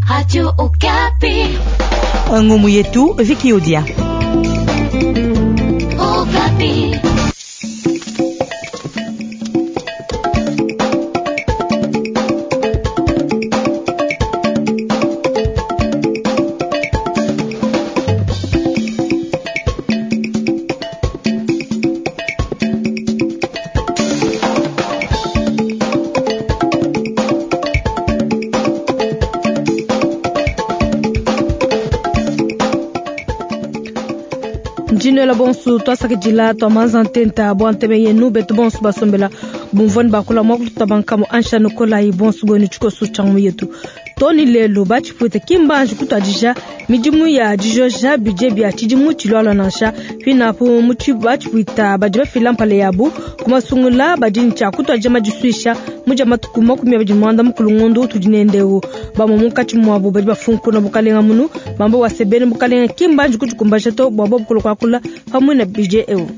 Radio Okapi. Ngumu yetu Vicky Odia. Okapi. Ndinwela bonso twasakidila twamanza ntenta bwa ntebe yenu betu bonso basombela bumvwani bakula mwa kututabankamo ansha nokolayi bonso bwenu tshikoso tshangu yetu toni lelo batshipwita kimbanji kutwadija midimu ya dijoja bidie bia tshidimu tshilwalwa nansha pinapu batshipwita badi bafila mpala yabu kumasungula badi ne tshia kutwadija madisuisha mudia matuku 24 ngondu tudi nendewu bamwe munkatshi muabu badi bafunkuna bukalenga munu bamba wasebene bukalenga kimbanji kudikumbaja to bua bobu kuakula pamwe na bidie eu.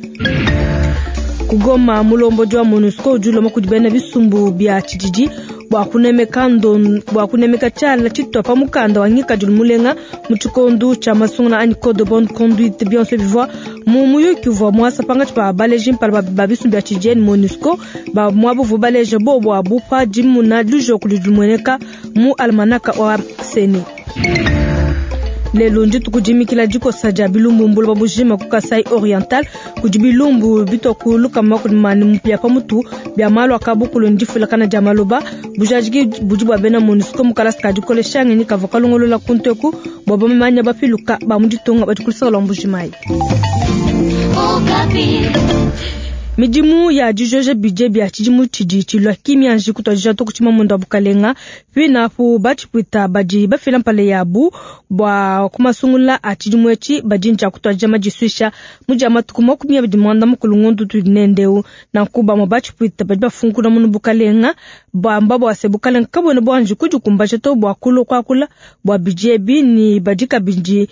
Kugoma mulombodi wa MONUSCO udi ulomba kudi bena bisumbu bia tshididi bua kunemeka bua kunemeka tshiala tshitwa pa mukanda wa ngikadilu mulenga mu tshikondo tshia masungula anyi code de bonne conduite bionso bivua mu muyuki uvua muasa pangatshi pa baleji mpala ba bisumbu bia tshididi ne MONUSCO ba muabu uvua baleja bobu abu pa dimuna lujoku ludi lumueneka mu almanaka wa Seni. Lelo ndituku dimikila dikosa dia bilumbu mbuloba bujima ku Kasai Oriental kudi bilumbu bitwa lukama mani mupia pa mutu bia malu akabukulu ndifulakana dia maloba bujadiki budi bua bena MONUSCO mu kalasa ka dikolesha ngenyi kavua kalongolola kunteku bua bamanya bapiluka ba mu ditunga badi kulusaka lwa Mbujimayi. Midimu ya dijoja bidie bia tshidimu tshidi tshilua kimianji kutwadija to kutshima munda wa bukalenga pinapu batshipwita badi bafila mpala yabu bua kumasungula a tshidimu etshi badi ntshia kutwadija madisuisha mudia matuku 25 ngondu tudi nendeu nanku bamwe batshipwita badi bafunkuna munu bukalenga bamba bua se bukalenga kabwena buanji kudikumbaja to bua kulua kuakula bua bidie ebi ni badi kabidi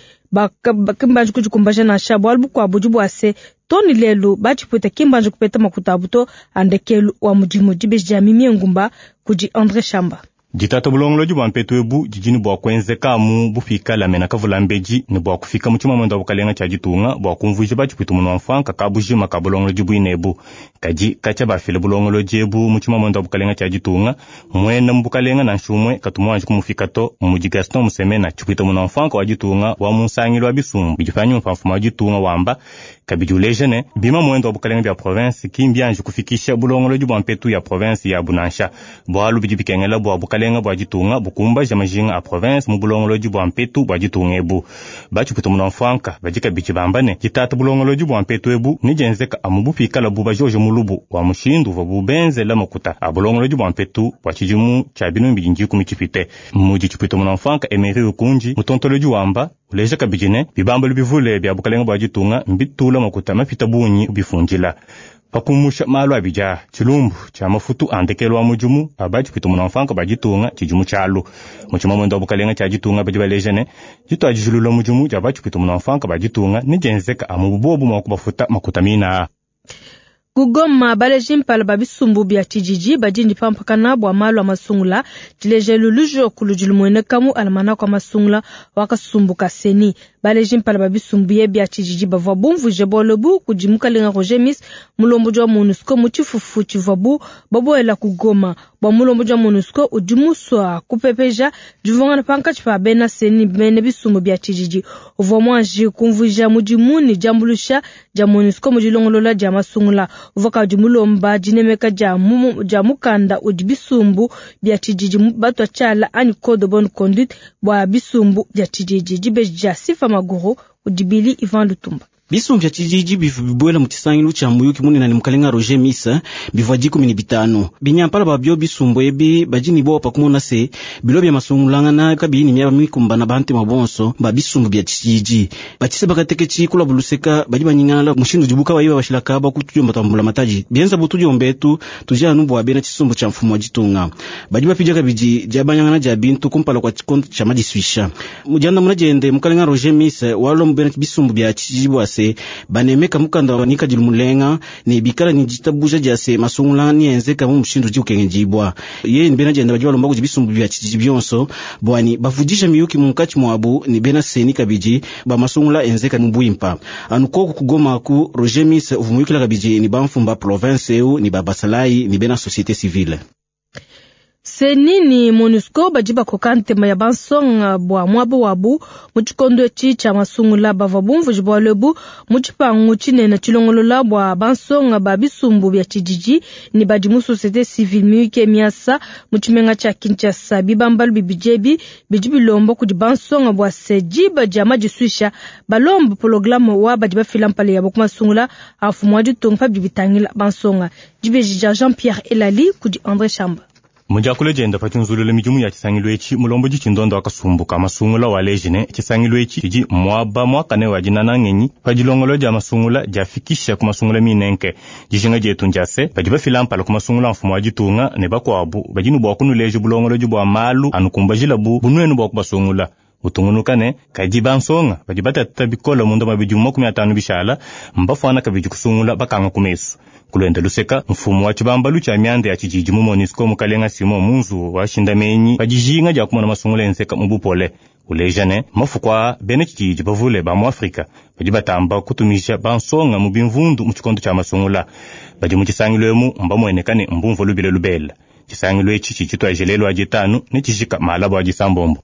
bakimbanji kudikumbaja nansha bualu bukuabu budi bua se toni lelu batshipwita kimbanji kupeta makuta abu to andekelu wa mudimu dibeji dia Mimie Ngumba kudi André Shamba. Ditata bulongolodi bua mpetu ebu didi ne bua kuenzeka mu bufikala mena kavula mbedi ne bua kufika mu tshimamanda wa bukalenga tshia ditunga bua kumvuija batshipwita munu wa mfanka ka bujima ka bulongolodi buine ebu. Kadi katshia bafile bulongolodi ebu mu tshimamanda wa bukalenga tshia ditunga mwena mu bukalenga nansha umwe katu muanji kumufika to mudi Gaston Musemena tshipwita munu wa mfanka wa ditunga wa mu nsangilu wa bisumbu bidi panyima pa mfumu wa ditunga wamba kabidi uleja ne bima mwendo wa bukalenga bia province kimbianji kufikisha bulongolodi bua mpetu ya province ya bunansha bualu bidi bikengela bua bukalenga bua ditunga bukumbaja majinga a province mu bulongolodi bua mpetu bua ditunga ebu. Batshipwita munu wa mfanka badi kabidi bamba ne ditata bulongolodi bua mpetu ebu nedienzeka amu bufikala bu bajoje mulubu wa mushindu uvua bubenzela makuta a bulongolodi bua mpetu bua tshidimu tshia binunu 2010 tshipite. Mudi tshipwita munu wa mfanka Emery Ukunji mutontolodi wamba uleja kabidi ne bibambalu bivule bia bukalenga bua ditunga mbitula makuta mapita bungi bifundila pakumusha malu abidi tshilumbu tshia mafutu a ndekelu wa mudimu abatshipwita munu wa mfanka ba ditunga tshidimu tshialu. Mu tshimamanda wa bukalenga tshia ditunga badi baleja ne ditwadijilula mudimu dia batshipwita munu wa mfanka ba ditunga nedienzeka amu bubobu mua kubafuta makuta mina. Kugoma baleji mpala ba bisumbu bia tshididi badi ne pampakana bua malu a masungula tshilejelu lujoku ludi lumueneka mu almanaka wa masungula wa kasumbu ka Seni. Baleji mpala ba bisumbu ye bia tshididi bavua bumvuje bualu kudi mukalenga Roger Miss mulombodi wa MONUSCO mu tshifufu tshivuabu babuela kugoma. Bua mulombodi wa MONUSCO udi musua kupepeja divungana pankatshi pa bena Seni bena bisumbu bia tshididi uvua muanji kumvuija mudimu ne diambuluisha dia MONUSCO mu dilongolola dia masungula. Uvua kabidi mulomba dinemeka dia mukanda udi bisumbu bia tshididi batwa tshiala anyi code de bonne conduite bua bisumbu bia tshididi. Dibeji dia Sifa Maguru udi Bili Ivan Lutumba. Bisumbu bia tshididi bivua bibuela mu tshisangilu tshia muyuki munene ne mukalenga Roger Miss bivua 15. Binyampala babio bisumbu ebi badi ne bowa pa kumona se bilo bia masungulangana kabiyi ne miaba mikumbana bantema bonso ba bisumbu bia tshididi. Batshise bakateketshi kula buluseka badi banyingala mushindu udibu kabayi babashilaka ba kutudiomba twa mbulamatadi. Bienza bu tudiomba etu tudi anu bua bena tshisumbu tshia mfumu wa ditunga. Badi bapidia kabidi diabanyangana dia bintu kumpala kua tshikondo tshia madisuisha. Mu diandamuna diende mukalenga Roger Miss walomba bena bisumbu bia tshididi bua se se banemeka mukanda wa ngikadilu mulenga ne bikala ne ditabuja dia se masungula nienzeka mu mushindu udi ukengedibua. Yeye ne bena dienda badi balomba kudi bisumbu bia tshididi bionso bua ne bavudija miyuki munkatshi muabu ne bena CENI kabidi ba masungula enzeka mu buimpa. Anu koku ku Goma ku Roger Miss uvua muyukila kabidi ne bamfumu ba province eu ne ba basalayi ne bena société civile. CENI ne MONUSCO badi bakoka ntema ya bansonga bua muaba wabu mu tshikondo etshi tshia masungula. Bavua bumvuije bualu ebu mu tshipangu tshinene tshilongolola bua bansonga ba bisumbu bia tshididi ne badi mu société civile miyuki miasa mu tshimenga tshia Kinshasa. Bibambalu bibidi ebi bidi bilomba kudi bansonga bua se diba dia madisuisha balomba programme wa badi bafila mpala yabo ku masungula a mfumu wa ditunga pa bidi bitangila bansonga. Dibeji dia Jean-Pierre Elali kudi André Chamba. Mu diakula dienda pa tshinzulula midimu ya tshisangilu etshi, mulombodi tshindondo wa kasumbu ka masungula waleji ne tshisangilu etshi tshidi muaba muakane wa dinana ngenyi pa dilongolo dia masungula diafikisha ku masungula minenke. Dijinga dietu ndia se badi bafila mpala ku masungula a mfumu wa ditunga ne bakuabu badi ne bua kunuleja bulongolodi bua malu anukumbajilabu bunuenu bua kubasungula. Utungunuka ne kadi bansonga badi batata bikole munda mua bidimu 50 bishala mbafuana kabidi kusungula bakanga ku mesu. Kulwenda luseka mfumu wa tshibambalu tshia mianda ya tshididi mu MONUSCO mukalenga Simon Munzu wa shindamenyi pa dijinga dia kumona masungula enzeka mu bupole. Uleja ne mafuku a bena tshididi bavule ba mu Afrika badi batamba kutumisha bansonga mu bimvundu mu tshikondo tshia masungula. Badi mu tshisangilu emu mbamueneka ne mbumvua lubila lubela. Tshisangilu etshi tshidi tshituadija lelu wa ditanu ne tshijika malaba wa disambombo.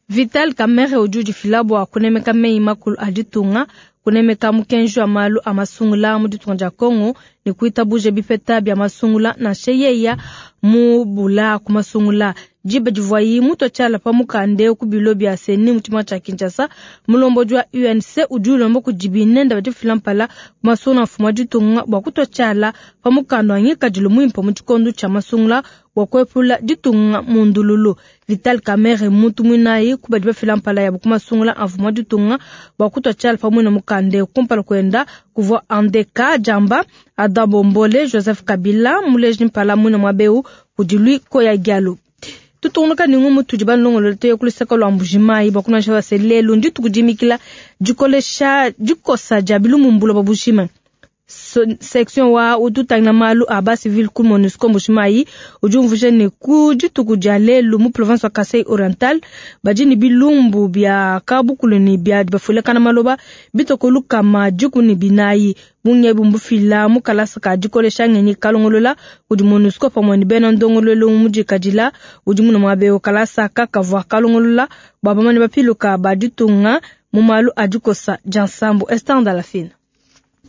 Vital Kamerhe udi udifila bua kunemeka meyi makulu a ditunga, kunemeka mukenji wa malu a masungula mu ditunga dia Congo ne kuitabuja bipeta bia masungula nansha yeya mu bula ku masungula. Diba divuayi mutua tshiala pa mukande ku bilo bia CENI mu tshimenga tshia Kinshasa, mulombodi wa UNC udi ulomba kudi binende badifila mpala ku masungula a mfumu wa ditunga bua kutua tshiala pa mukanda wa ngikadilu muimpe mu tshikondo tshia masungula bua kuepula ditunga mu ndululu. Vital Kamerhe muntu muinayi ku badi bafila mpala yabo ku masungula a mfumu wa ditunga bua kutua tshiala pamue na mukande. Kumpala kuenda kuvua Andeka Jamba, Adam Bombole, Joseph Kabila muleji mpala muina muabeu kudi Louis Koya Diallo. Tutungunuka ne ngumu tudi balongolole tuye ku luseke lua Mbujimayi bua kunansha base lelu ndituku dimikila dikolesha dikosa dia bilumbu buloba bujima. Section wa ututangila malu a ba civil ku MONUSCO Mbujimayi udi umvuija ne ku dituku dia lelu mu province wa Kasai Oriental badi ne bilumbu bia kabukulu ne bia bafulekana maloba bitoko lukama 14. Bungi ebu mbufila mu kalasa ka dikolesha ngenyi kalongolola kudi MONUSCO pamue ne bena ndongoluelu mudikadila udi muna muaba eu. Kalasa kakavua kalongolola bua bamane bapiluka ba ditunga mu malu a dikosa dia nsambu. Esther Ndalafina.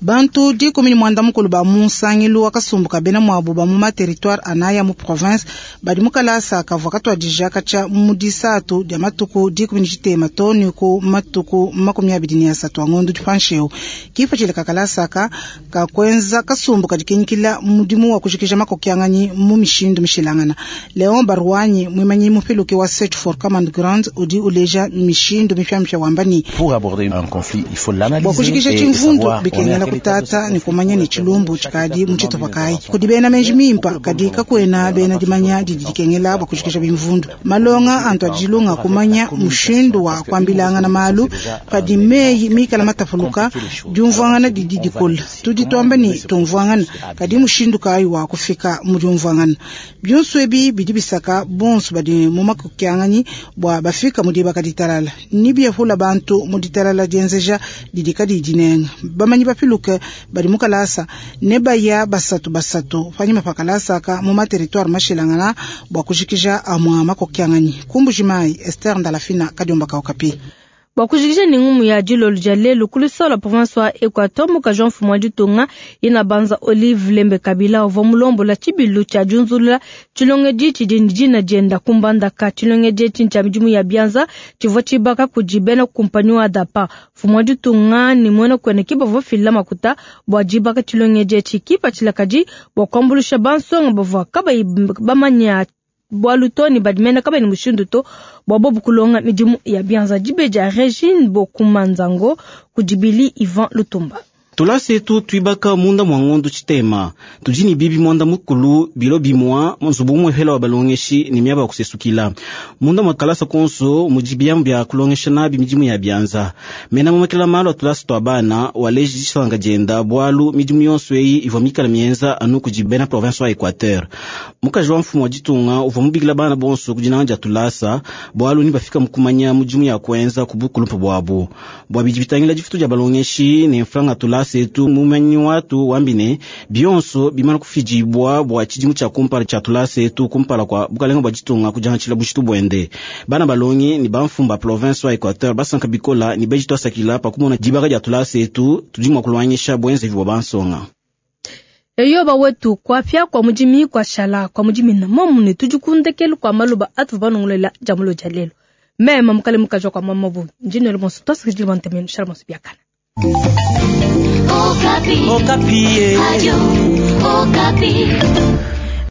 Bantu 19 ba mu nsangilu wa kasumbu ka bena muabu ba mu ma territoire anaya mu province badi mu kalasa kavua katuadija katshia mu disatu dia matuku 13 too ne ku matuku 23 a ngondo dipanshi eu. Kipatshila ka kalasa aka ka kuenza kasumbu kadi kinyikila mudimu wa kujikija makokianganyi mu mishindu mishilangana. Leon Barwanyi mwimanyi mupiluke wa Search for Common Ground udi uleja mishindu mipiamipia wamba ni Pour aborder un conflit, il faut l'analyser bua kujikija et tshimvundu savoir on est à bikengela quel état de ce kutata ne conflit. kumanya ne tshilumbu tshikadi mu tshitupa kayi. Kudi bena menji mimpa kadi kakuena bena dimanya didi dikengela bua kujikija bimvundu. Malonga antu adilunga kumanya mushindu wa kuambilangana malu padi meyi mikala matapuluka diumvuangana didi dikola. Tudi tuamba ne tumvuangana kadi mushindu kayi wa kufika mu diumvuangana. Bionso ebi bidi bisaka bonso badi mu makokianganyi bua bafika mu dibaka ditalala. Ni biepula bantu mu ditalala dienzeja didi kadi dinenga. Bamanyi bapiluke badi mu kalasa ne baya basatu basatu panyima pa kalasa aka mu ma territoire mashilangana bua kujikija amua makokianganyi. Ku Mbujimayi, Esther Ndalafina, Kadiomba ka Okapi. Bua kujikija ne ngumu ya dilolo dia lelu ku luseke lua province wa Equateur mukaji wa mfumu wa ditunga ina banza Olive Lembe Kabila uvua mulombola tshibilu tshia diunzulula tshilongedi tshidi ne dina dienda ku Mbandaka. Tshilongedi etshi ntshia midimu ya bianza tshivua tshibaka kudi bena kumpanyi wa DAPA. Mfumu wa ditunga ne muena kuene ke bavua bafila makuta bua dibaka tshilongedi etshi kipatshila kadi bua kuambuluisha bansonga bavua kabayi bamanya bualu to ne badi mena kabayi ne mushindu to bua bobu kulonga midimu ya bianza. Dibe dia Regine Bokumanzango kudi Billy Ivan Lutumba. Tulasa etu tuibaka munda mwa ngondo tshitema tudi ne bibi mwanda mukulu bilo bimwa nzubu umwehela wa balongeshi ne miaba ya kusesukila munda mwa kalasa konso mudi biamu bia kulongesha nabi midimu ya bianza. Mena mumakela malu a tulasa tua bana waleji disanka dienda bwalu midimu yonso eyi ivua mikala mienza anu kudi bena province wa Equateur. Mukaji wa mfumu wa ditunga uvua mubikila bana bonso ku dinanga dia tulasa bwalu ni bafika mukumanya mudimu ya kuenza ku bukulumpa bwabu bwa bidi bitangila difutu dia balongeshi ne mfranga tulasa etu mumanyi watu wambine bionso bimana kufidibwa bwa tshidimu tshia kumpala tshia tulasa etu kumpala kwa bukalenga bua ditunga kudiangatshila bushitu buende. Bana balongi ni bamfumu ba province wa Equateur basanka bikola ni beji twasakila pakumona dibaka dia tulasa etu tudi mua kulwangisha bwenzevi bwa bansonga. Eyoba wetu kwapya kwa mujimi kwa shala kwa mujimi na momu ne tudi kundekelu kwa maluba atu banongolela jamulo ja lelo. Mema mukale mukajwa kwa mama bu njinelo monso twasakidile bantemenu shala monso biakana. Okapi. Okapi. Radio Okapi.